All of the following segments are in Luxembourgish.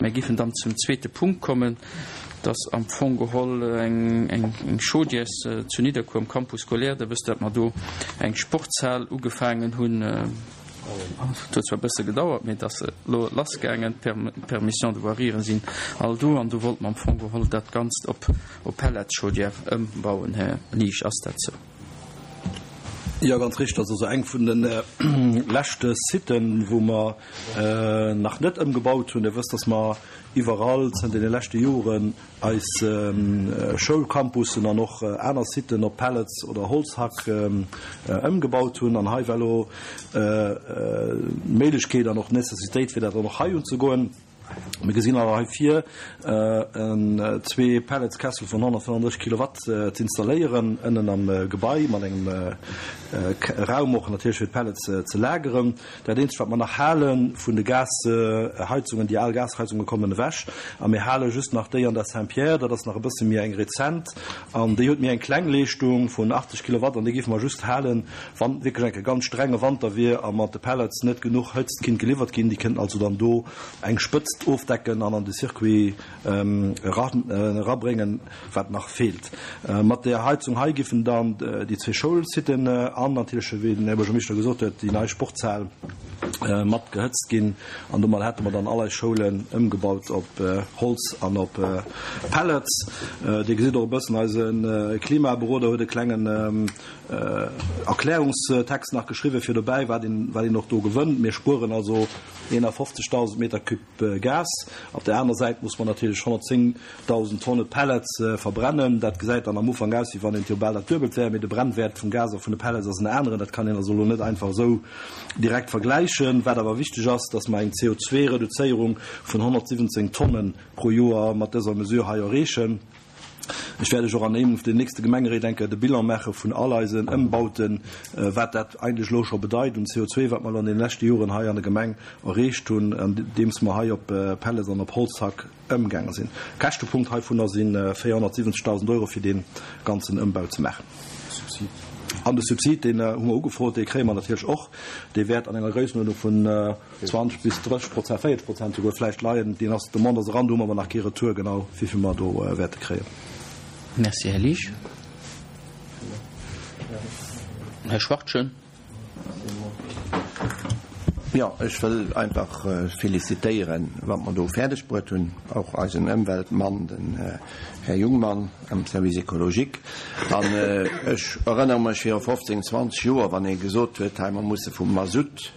Mär giffen dann zum zweete Punkt kommen, dass am Fong geholl eng Chaudière zu Nidderkuer um Campus scolaire, Der wësst, dat mer do eng Sportshal ugefaangen hunn, et huet zwar e bësse gedauert, mee et ass elo lassgaangen, d'Permissions de voirieren sinn all do an do wollte mer am Fong geholl dat Ganzt op Pelletschaudière ëmbauen. Här Liesch, ass dat sou? Jo, ganz richteg. Dat ass also eng vun de leschte Siten, wou mer nach net ëmgebaut hunn. Dir wësst, dass mer iwwerall zënter deene leschte Joren eis Schoulcampussen an och aner Siten op Pellets oder Holzhack ëmgebaut hunn. An hei war elo d'Méiglechkeet an och d'Necessitéit, fir dat dann och hei unzegoen. Mir gesinn awer hei vir, zwee Pelletskessel vun 135 Kilowatt z'installéieren, ënnen am Gebai mat engem Raum och natierlech fir d'Pellets ze lageren. Dat eenzegt, wat mer nach hale vun de Gasheizungen, déi al Gasheizunge kommen ewech a mir hale just nach déi an der Saint-Pierre, dat ass nach e bësse méi eng rezent an déi huet méi eng kleng Leeschtung vun 80 Kilowatt an déi géife mer just halen, wann wierklech eng Kéier ganz strenge Wanter wier a mat de Pellets net genuch Hëtzt kinnt geliwwert ginn. Déi kënnten also dann do eng Spëtzt ofdecken an an de Circuit erabréngen, wat nach feelt. Mat där Heizung hei giffen dann déi zwee Schoulsiten an natierlech, wéi den Här Buergermeeschter gesot huet, déi nei Sportshal mat gehëtzt ginn. An domat hätte mer dann all eis Schoulen ëmgebaut op Holz an op Pellets. Dir gesitt och e bëssen, eise Klimaberoder huet e klengen Erklärungstext nach geschriwwen fir dobäi, wat een och do gewënnt. Mir spueren also 51.000 Meter Cube Gas. Op der aner Säit muss mer natierlech 110.000 Tonne Pellets verbrennen. Dat gesäit dann am Ufank aus, wéi wann eent jo bal dat Duebelt wär, mee de Brennwäert vum Gas a vun de Pellets ass en aneren. Dat kann een also elo net einfach esou direkt vergläichen. Wat awer wichteg ass, dass mer eng CO2-Reduzéierung vun 117 Tonne pro Joer mat dëser Mesure hei erreechen. Ech wäert lech och an engem vun den nächste Gemengeréit eng Kéier de Bilan maache vun all eisen Ëmbauten, wat dat eigentlech elo scho bedeit un CO2, wat mer elo an deene leschte Joren hei an der Gemeng erreecht hunn, andeems mer hei op Pellets an op Holzhack ëmgaange sinn. Käschtepunkt heivunner si 470.000 Euro, fir dee ganzen Ëmbau ze maachen. An de Subsid, deen hu mer ugefrot, dee kréie mer natierlech och. Dee wäert an enger Gréissenuerdnung vun 20 bis 30 Prozent, 40 Prozent souguer vläicht leien. Deen ass, d'Demande ass eran, do hu mer awer nach kee Retour genau, wéivill mer do wäerte kréien. Merci, Här Liesch. Här Schwachtgen. Jo, ech wëll einfach felicitéieren, wat mer do fäerdeg bruet hunn, och eisen Ëmweltmann, den Här Jungmann am Service écologique. An ech erënnere mech viru 15, 20 Joer, wann ee gesot huet, hei mer musse vum Masutt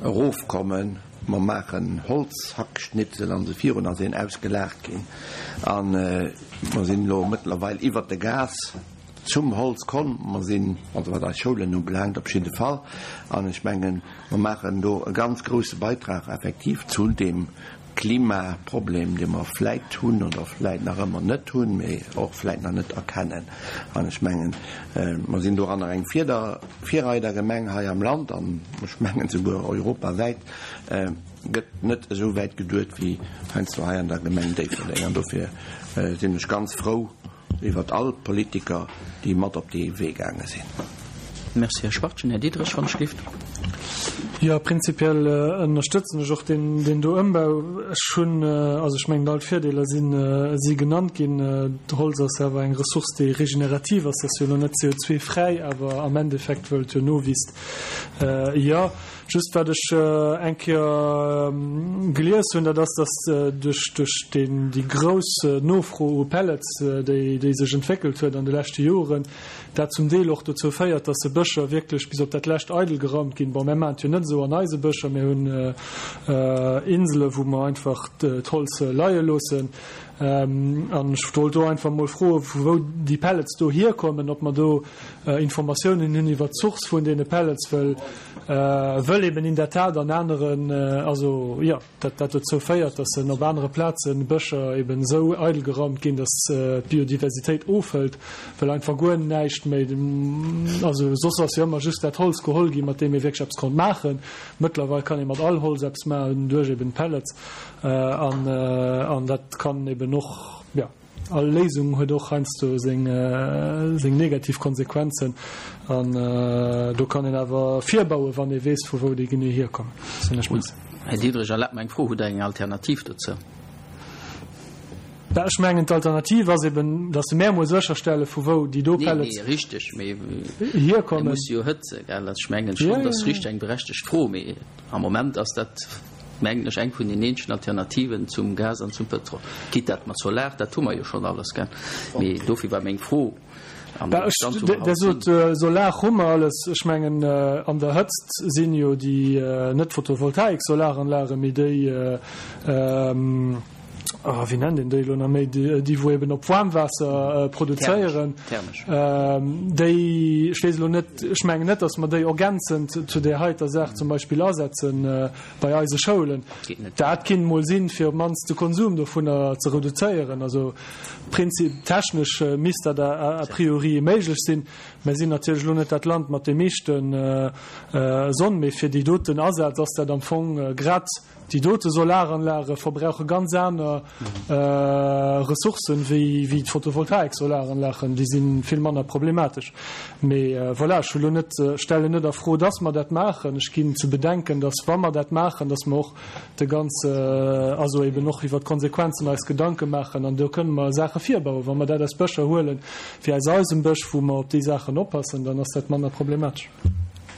erofkommen, mer maachen Holzhackschnitzel an esou virun, ass een ausgelaacht ginn. A mer sinn elo mëttlerweil iwwert de Gas zum Holz komm. Mer sinn, also wat eis Schoulen ubelaangt, op jidde Fall. An ech mengen, mer maachen do e ganz grouse Beitrag effektiv zu deem Klimaproblem, dee mer vläit hunn oder vläit nach ëmmer net hunn, mee och vläit nach net erkennen. An ech mengen, mer sinn doranner eng Virder Virreidergemeng hei am Land an ech mengen souguer europawäit gëtt net esou wäit geduet wéi heiansdo hei an der Gemeng Déifferdeng. An dofir sinn ech ganz frou, Iwwert all Politiker, déi mat op dee Wee gaange sinn. Merci, Här Schwachtgen. Här Diderich, wann ech gelift. Jo, prinzipiell ënnerstëtzen ech och deen do Ëmbau. Ech hunn, also ech mengen, all d'Virdeeler sinn, si genannt ginn. D'Holz ass awer eng Ressource, déi regenerativ ass. Dat ass jo elo net CO2-fräi, awer am Endeffekt, wëll et jo nowiisst, jo. Just wat ech eng Kéier gelies hunn, dat ass, datt duerch duerch deen déi grouss Nofro u Pellets, déi déi sech entwéckelt huet an de leschte Joren, dat zum Deel och dozou féiert, datt se Bëscher wierklech bis op dat lescht eidel geraumt ginn. Bon, mär maachen et jo net esou an eise Bëscher, mir hunn Insele wou mer einfach d'Holz leie loossen. An ech wollt do einfach emol froen, vu wou déi Pellets do hierkommen, ob mer do Informatiounen hunn iwwert d'Source vun deene Pellets, wëll wëll eben in der Tat an aneren, also jo, dat dat dozou féiert, dass en op anere Plaze Bëscher eben esou eidel geraumt ginn, dass d'Biodiversitéit ofhëlt, well einfach guer näischt méi, also soss ass jo ëmmer just dat Holz geholl ginn, mat deem ee wierklech eppes konnt maachen. Mëttlerweil kann ee mat all Holz eppes maachen, duerch eben d'Pellets. An, an dat kann eben och, jo, all Léisung huet och heiansdo seng, seng negativ Konsequenzen. An do kann een awer virbauen, wann ee weess, vu wou déi genee hierkommen. Här Diderich, erlaabt mer eng Fro, Hutt Der eng Alternativ dozou? Bah, ech mengen, d'Alternativ ass eben, datt se mär emol sécherstelle vu wou déi do Pellets Nee, nee, richteg, mee hierkommen. Mir musse jo hëtze, gell? Also ech mengen schonn, dat ass richteg eng berechtegt Fro, mee am Moment ass dat, mengen ech, eng vun den eenzegen Alternativen zum Gas an zum Pëtrol. Quitte dat mat Solar, dat hu mer jo schonn alles, gell? Mee dofir war meng Fro an Bah, dem ech, Stand, wou mer Der haut sot, sinn. Solar hu mer alles. Ech mengen, an der Hëtzt sinn jo déi, net Photovoltaik-Solaranlagen, mee déi, ah, wéi nennt een déi elo nach méi, déi wou eben op Waarmwaasser produzéieren, déi, ech weess elo net, ech mengen net, datt mer déi ergänzend zu där heiter Saach zum Beispill asetze bei eise Schoulen. Dat kinnt mol sinn, fir op d'mannst de Konsum dovunner ze reduzéieren. Also prinzip technesch misst dat a priori méiglech sinn. Mer sinn natierlech elo net dat Land mat de meeschte Sonn, mee fir déi doten Asaz ass dat am Fong grad Déi dote Solaranlage verbrauche ganz aner Ressourcen wéi d'Photovoltaik-Solaranlagen. Déi si vill manner problematesch. Mee voilà, ech hu lo net, stellen net a Fro, dass mer dat maachen. Ech ginn ze bedenken, dass wa mer dat maachen, dass mer och de ganze, also eben och iwwert d'Konsequenzen eis Gedanke maachen. An do kënne mer Saache virbauen. Wa mer dat aus Bëscher huelen, wéi aus eisem Bësch, wou mer op déi Saachen oppassen, dann ass dat manner problematesch.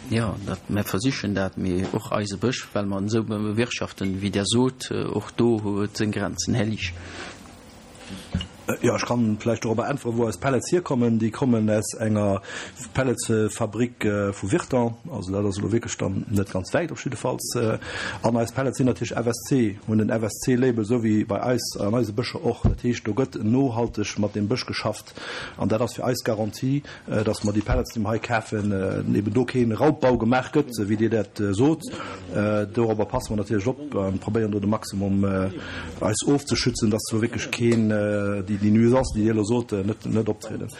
Jo, dat, mir versichen dat, mee och eise Bësch, well mer en esou bewirtschaften, wéi Der sot, och do huet seng Grenzen. Här Liesch. Jo, ech kann vläicht dorobber äntweren, wou eis Pellets hierkommen. Déi kommen aus enger Pelletsfabrik vu Virton. Also dat ass elo wierklech dann net ganz wäit op jiddefalls. An eis Pellets sinn natierlech FSC, hunn den FSC-Label, esou wéi bei eis an eise Bëscher och. Dat heescht, do gëtt nohalteg mat deem Bësch geschafft. An dat ass fir eis Garantie, dass mer déi Pellets, déi mer hei kafen, eben do kee Raubbau gemaach gëtt, wéi Dir dat sot. Dorobber passe mer natierlech op a probéieren do de Maximum eis ofzeschützen, dass do wierklech keen, déi Nuisancen, déi Dir elo sot, net optrieden.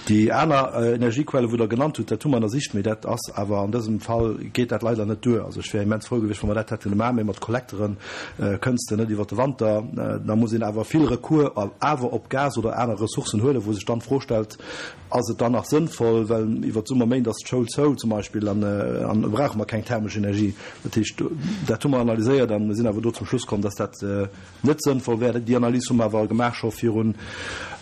Déi aner Energiequellen, wou Der genannt hutt, dat hu mer ënnersicht, mee dat ass awer an dësem Fall geet dat leider net duer. Also ech wär immens frou gewiescht, wa mer dat hätte gemaach, mee mat Kollektere kënns de net iwwer de Wanter. Da muss een awer vill Recours awer op Gas oder aner Ressourcen huelen, wou sech dann d'Fro stellt, Ass et dann nach sënnvoll, well iwwer d'Summerméint ass d'Schoul zou zum Beispill an an brauche mer keng thermesch Energie. Dat heescht, dat hu mer analyséiert a sinn awer do zum Schluss komm, dass dat net sënnvoll wär. Déi Analys hu mer awer gemaach scho virun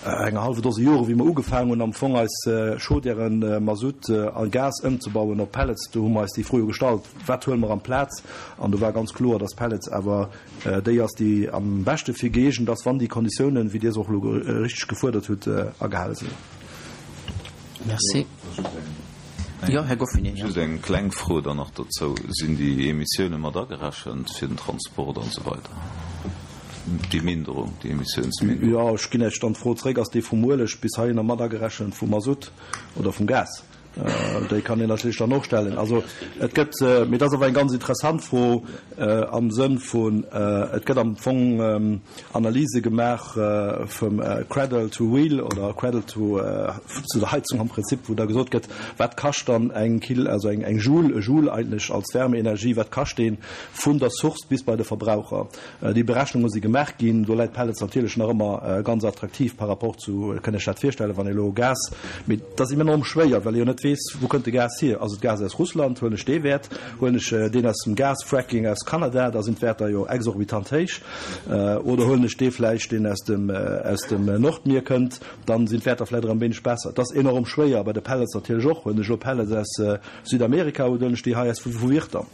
enger hallwe Dose Jore wéi mer ugefaangen hunn am Fong eis Chaudièren, Masutt a Gas ëmzebauen op Pellets. Do hu mer eis déi Fro jo gestallt, wat huele mer amplaz? An do war ganz kloer, dass Pellets awer déi ass, déi am beschte fir gëeegent ass, wann déi Konditiounen, wéi Dir se och elo richteg gefuerdert hutt, agehale sinn. Merci. Jo, Här Goffinet. Just eng kleng Fro dann nach dozou, Sinn déi Emissioune mat agerechent fir den Transport an esou weider, déi Minderung, déi Emissiounsminderung? Jo, ech ginn Iech dann d'Fro zréck, Ass déi vum Ueleg bis heihinner mat agerechent, vum Masutt oder vum Gas? Déi kann een natierlech dann och stellen. Also et gëtt, mee dat ass awer eng ganz interessant Fro am Sënn vun, et gëtt am Fong Analyse gemaach vum Cradle to Wheel oder Cradle to, zu der Heizung am Prinzip, wou da gesot gëtt, wat kascht dann eng Kil, also eng Joule, e Joule eigentlech als Wärmeenergie, wat kascht dee vun der Source bis bei de Verbraucher? Déi Berechnunge si gemaach ginn. Do läit Pellets natierlech nach ëmmer ganz attraktiv par rapport zu, kënnt Iech dat virstellen, wann ee elo Gas, mee dat ass enorm schwéier, well ee jo net weess, wou kënnt de Gas hier? Ass et Gas aus Russland? Huelen ech dee Wäert? Huelen ech deen aus dem Gasfracking aus Kanada? Da sinn d'Wäerter jo exorbitant héich. Oder huelen ech dee vläicht, deen aus dem, aus dem Nordmier kënnt? Dann sinn d'Wäerter vläicht erëm e wéineg besser. Et ass enorm schwéier, bei de Pellets natierlech och. Huelen ech elo Pellets aus Südamerika oder huelen ech déi hei aus vu Virton?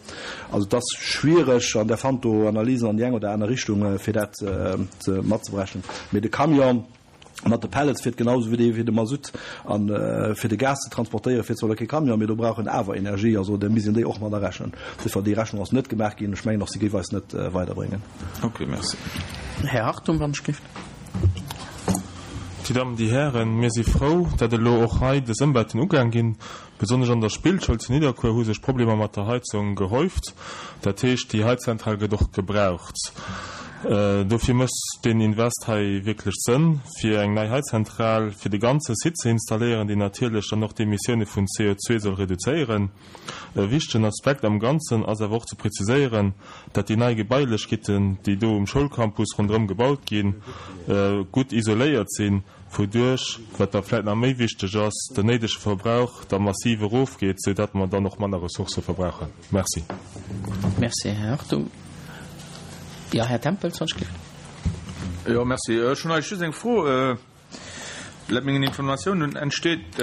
Also et ass schwiereg an der fannt do Analysen an déi eng oder aner Richtung fir dat ze matzeberechnen. Mee de Camion mat de Pellets fiert genau esou wéi dee fir de Masutt an fir de Gas ze transportéieren fiert zwar elo kee Camion, mee do brauch en awer Energie, also da misst een déi och mat arechnen. Duerfir déi Rechnung ass net gemaach ginn. Ech mengen och se géif eis net weiderbréngen. Ok, merci. Här Hartung, wann ech géif. Dir Dammen, Dir Hären, mir si frou, dat elo och hei dës Ëmbauten ugaang ginn. Besonnesch an der Spillschoul zu Nidderkuer hu sech Problemer mat der Heizung gehäuft. Dat heescht, déi Heizzentral gëtt och gebraucht. Dofir mécht deen Invest hei wierklech Sënn, fir eng nei Heizzentral fir de ganze Site ze installéieren, déi natierlech dann och d'Emissioune vun CO2 soll reduzéieren. E wichtegen Aspekt am Ganzen ass awer och ze preziséieren, dat déi nei Gebailechkeeten, déi do um Schoulcampus ronderëm gebaut ginn, gutt isoléiert sinn, wouduerch, wat da vläit nach méi wichteg ass, den néidege Verbrauch da massiv erofgeet, sou dat mer dann och manner Ressourcë verbrauchen. Merci. Merci, Här Hartung. Jo, Här Tempels, wann ech gelift. Jo, merci. Ech hunn eigentlech just eng Fro. Laut mengen Informatiounen entsteet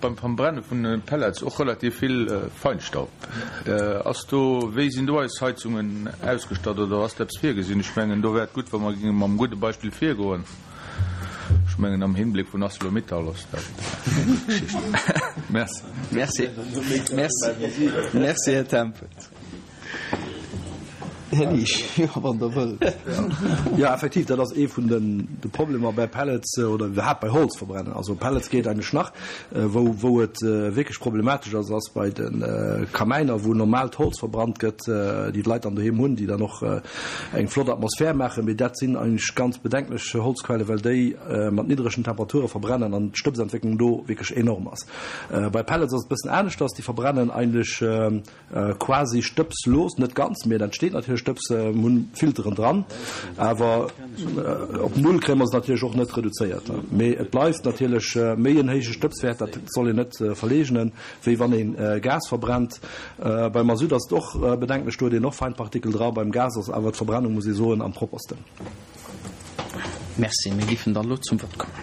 beim Verbrenne vun de Pellets och relativ vill Feinstaub. Ass do, wéi sinn do eis Heizungen ausgestatt oder ass do eppes virgesinn? Ech mengen, do wär et gutt, wa mer géinge mam gudde Beispill virgoen. Ech mengen, am Hinblick vun Arcelor-Mittal ass dat eng gutt Geschicht. Merci. Merci. Merci, Här Tempels. Här Liesch, jo, wann Der wëllt. Jo, effektiv, dat ass ee vun de Problemer bei Pellets oder iwwerhaapt bei Holzverbrennen. Also Pellets geet eigentlech nach. Wou, wou et wierklech problematesch ass, ass bei de Kamäiner, wou normaalt Holz verbrannt gëtt, déi d'Leit dann doheem hunn, déi dann och eng flott Atmosphär maachen. Mee dat sinn eigentlech ganz bedenklech Holzquellen, well déi mat niddregen Temperature verbrennen an d'Stëbsentwécklung do wierklech enorm ass. Bei Pellets ass et e bëssen aneschters, déi verbrennen eigentlech Quasi stëbslos, net ganz, mee et entsteet natierlech Stëbs, mir hunn Filteren dran, awer op Null kréie mer se natierlech och net reduzéiert. Mee et bleift natierlech méi en héije Stëbswäert, dat soll een net verleegnen, wéi wann ee Gas verbrennt. Beim Masutt ass et och bedenklech, do huet een och Feinpartikel dra, beim Gas ass awer d'Verbrennung, muss ee soen, am proppersten. Merci. Mir géifen dann elo zum Vott kommen.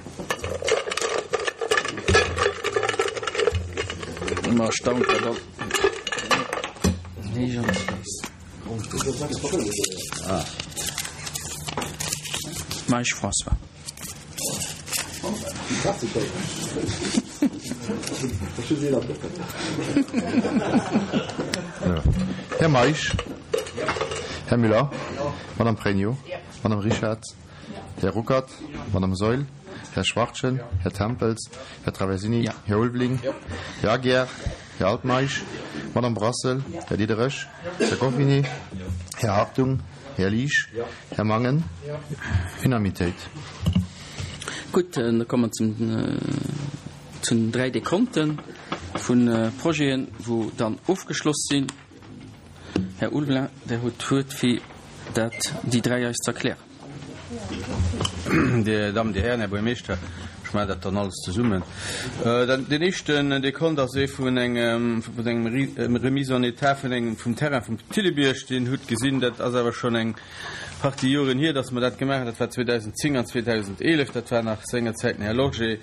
Ëmmer erstaunt, wat all Meisch François. Här Meisch, Här Müller, Madame Pregno, Madame Richard, Här Ruckert, Madame Saeul, Här Schwachtgen, Här Tempels, Här Traversini, Här Ulveling, Här Aguiar, Här Altmeisch, Madame Brassel, Här Diderich, Här Goffinet, Här Hartung, Här Liesch, Här Mangen. Unanimitéit. Gutt, da komme mer zum, zu den 3 Dekonte vu Projeten, wou dann ofgeschloss sinn. Här Ulveling, Der hutt d'Wuert, fir dat, déi 3 eis ze erklären. Dir Dammen, Dir Hären, Här Buergermeeschter, ech maachen dat dann alles zesummen. Deen éischten Dekont ass ee vun engem, vun engem Remise en état vun engem, vum Terrain vum Thillebiërg. Deen hutt gesinn, dat ass awer schonn eng Partie Joren hier, datt mer dat gemaach hunn. Dat war 2010 an 2011, dat war nach sengerzäit den Här Lorgé.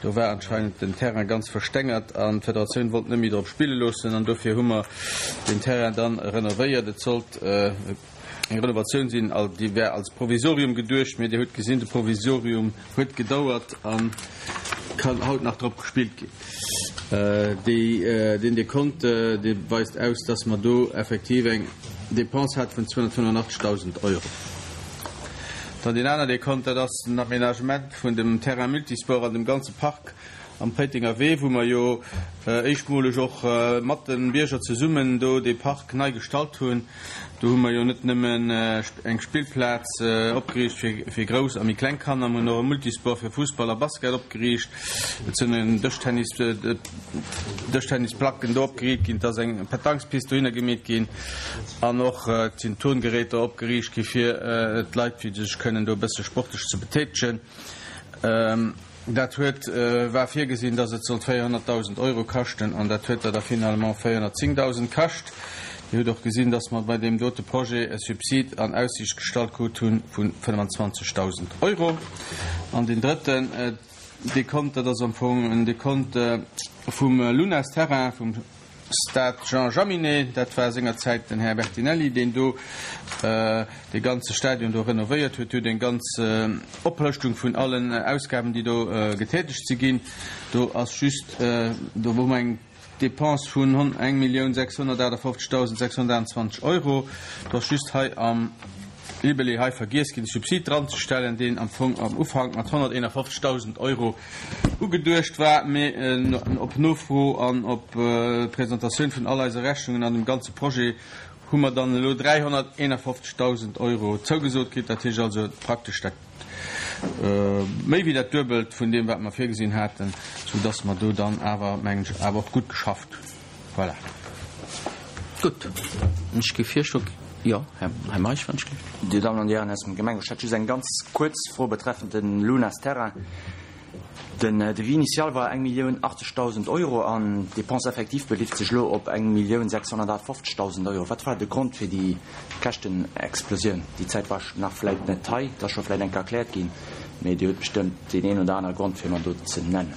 Do war anscheinend den Terrain ganz verstengert an d'Federatioun wollt net méi drop spille loossen an dofir hu mer deen Terrain dann renovéiert. Et sollt eng Renovatioun sinn, déi wär als Provisorium geduecht, mee Dir hutt gesinn, de Provisorium huet gedauert a kann haut nach drop gespillt ginn. Deen Dekont, dee weist aus, dass mer do effektiv eng Dépense hate vun 285.000 Euro. Dann deen aner Dekont, dat ass den Aménagement vun dem Terrain multisport an dem ganze Park am Péitenger Wee, wou mer jo éischtmoleg och mat de Bierger zesummen do dee Park nei gestalt hunn. Do hu mer jo net nëmmen eng Spillplaz opgeriicht fir grouss a méi kleng Kanner, mer hunn och e Multisport fir Fussball a Basket opgeriicht. Et sinn en Dëschtennis, Dëschtennisplacken do opgeriicht ginn, et ass eng Petanquespist dohinner gemeet ginn an och et sinn Turngeräter opgeriicht gi fir d'Leit, fir sech kënnen do e bësse sportlech ze betätegen. Dat huet, war virgesinn, dass et sollt 400.000 Euro kaschten, an dat huet der da finalement 410.000 kascht. Dir hutt och gesinn, dass mer bei deem dote Projet e Subsid an Aussiicht gestallt krut hu vu 25.000 Euro. An deen drëtten Dekont, dat ass am Fong en Dekont vum Lunas-Terrain, vum Stade Jean Jaminet, dat war sengerzäit den Här Bertinelli, deen do dee ganze Stadion do renovéiert huet, huet eng ganz Oplëschtung vun allen Ausgaben, déi do getätegt si ginn. Do ass just, do hu mer eng Dépense vun 1.658.628 Euro. Do ass just hei am Libellé hei vergiess ginn, de Subsid dranzestellen, deen am Fong am Ufank mat 151.000 Euro ugeduecht war, mee op Nofro an op Presentatioun vun all eise Rechnungen an dem ganze Projet hu mer dann elo 351.000 Euro zougesot kritt. Dat heescht also praktesch dat méi wéi dat Duebelt vun deem, wat mer virgesinn haten, soudass mer do dann awer, mengen ech, awer och gutt geschafft hunn. Voilà. Gutt, ech géif virschloen, jo, Här Meisch, wann ech géif. Dir Dammen an Dir Hären aus dem Gemengerot, ech hätt just eng ganz kuerz Fro betreffend den Lunas Terrain. Den Devis initial war 1.080.000 Euro an d'Dépense effective belieft sech elo op 1.658.000 Euro. Wat war de Grond fir déi Käschtenexplosioun? Déi Zäit war ech nach vläit net hei, et ass scho vläit eng Kéier erkläert ginn, mee Dir hutt bestëmmt deen een oder anere Grond fir mer do ze nennen.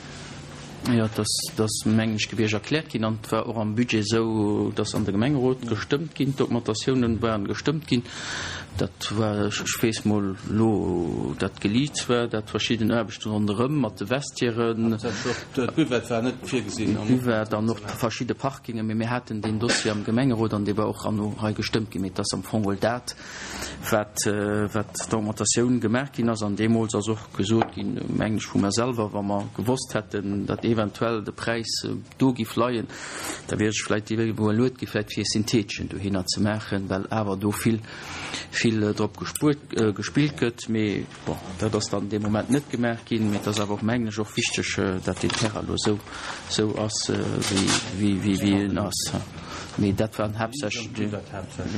Jo, et ass, et ass mengen ech gewiescht erkläert ginn an et war och am Budget esou, dass an de Gemengerot gestëmmt ginn, d'Augmentatiounen waren gestëmmt ginn. Dat war, ech weess mol elo, dat geleakt war, dat verschidden Aarbechten ronderëm mat de Vestiairen. D'Buvette war net virgesinn. D'Buvette an och verschidde Parkingen. Mee mir haten deen Dossier am Gemengerot an dee war och an hei gestëmmt ginn. Mee et ass am Fong geholl dat, wat, wat d'Augmentatioun gemaach ginn ass. An deemools ass och gesot ginn, mengen ech vu mer selwer, wa mer gewosst hätten, datt eventuell de Präis do giff leien, da wier ech vläit iwuerluet gi vläit fir e Syntheteschen dohinner ze maachen, well awer do vill, vill drop gespuert, gespillt gëtt. Mee bon, dat ass dann dee Moment net gemaach ginn. Mee et ass awer och, mengen ech, och wichteg, dat deen Terrain elo esou, esou ass, wéi, wéi, wéi, wéi en ass. Mee dat waren haaptsächlech déi,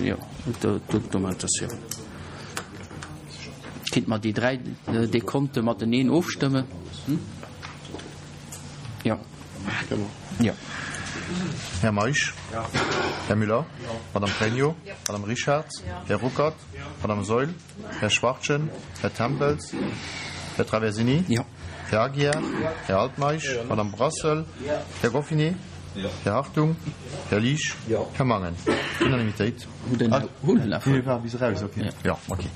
jo, d'Augmentatioun. Kinnt mer déi 3 Dekonte mateneen ofstëmmen? Jo. Jo. Här Meisch? Här Müller? Madame Pregno? Madame Richard? Här Ruckert? Madame Saeul? Här Schwachtgen? Här Tempels? Här Traversini? Här Aguiar? Här Altmeisch? Madame Brassel? Här Goffinet? Här Hartung? Här Liesch? Här Mangen? Unanimitéit. Jo, okay.